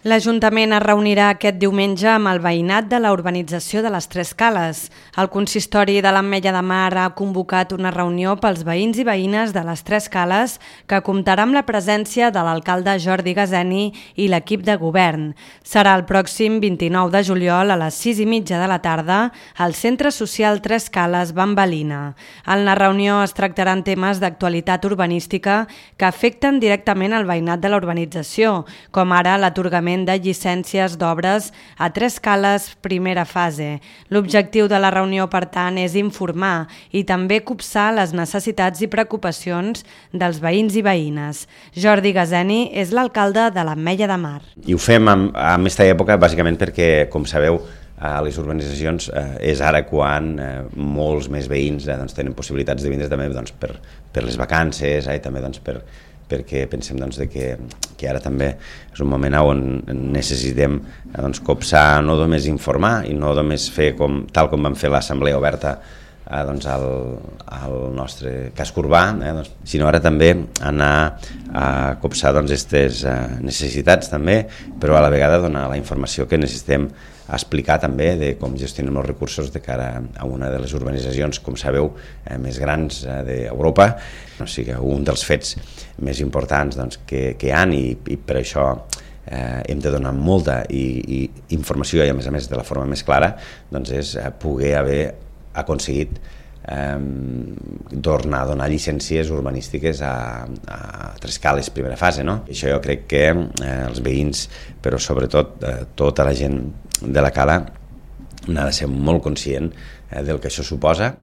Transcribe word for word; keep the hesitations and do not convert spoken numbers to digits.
L'Ajuntament es reunirà aquest diumenge amb el veïnat de la urbanització de les Tres Cales. El consistori de l'Ametlla de Mar ha convocat una reunió pels veïns i veïnes de les Tres Cales que comptarà amb la presència de l'alcalde Jordi Gazeni i l'equip de govern. Serà el pròxim vint-i-nou de juliol a les sis i mitja de la tarda al Centre Social Tres Cales Bambalina. En la reunió es tractaran temes d'actualitat urbanística que afecten directament al veïnat de la urbanització, com ara l'atorgament de llicències d'obres a Tres Cales primera fase. L'objectiu de la reunió, per tant, és informar i també copsar les necessitats i preocupacions dels veïns i veïnes. Jordi Gazeni és l'alcalde de l'Ametlla de Mar. I ho fem en, en aquesta època bàsicament perquè, com sabeu, a les urbanitzacions eh, és ara quan eh, molts més veïns eh, doncs, tenen possibilitats de vindre també doncs, per, per les vacances, eh, també doncs, per, perquè pensem doncs, de que, que ara també és un moment on necessitem eh, doncs, copsar, no només informar i no només fer com, tal com vam fer l'assemblea oberta eh, doncs, al, al nostre casc urbà, eh, doncs, sinó ara també anar a copsar aquestes doncs, eh, necessitats també, però a la vegada donar la informació que necessitem a explicar també de com gestionem els recursos de cara a una de les urbanitzacions, com sabeu, eh, més grans eh, d'Europa. O sigui, un dels fets més importants doncs, que, que hi ha i, i per això eh, hem de donar molta i, i informació i a més a més de la forma més clara, doncs és eh, poder haver aconseguit eh, tornar a donar llicències urbanístiques a, a Tres Cales primera fase. No? Això jo crec que eh, els veïns, però sobretot eh, tota la gent de la Cala n'ha de ser molt conscient eh, del que això suposa.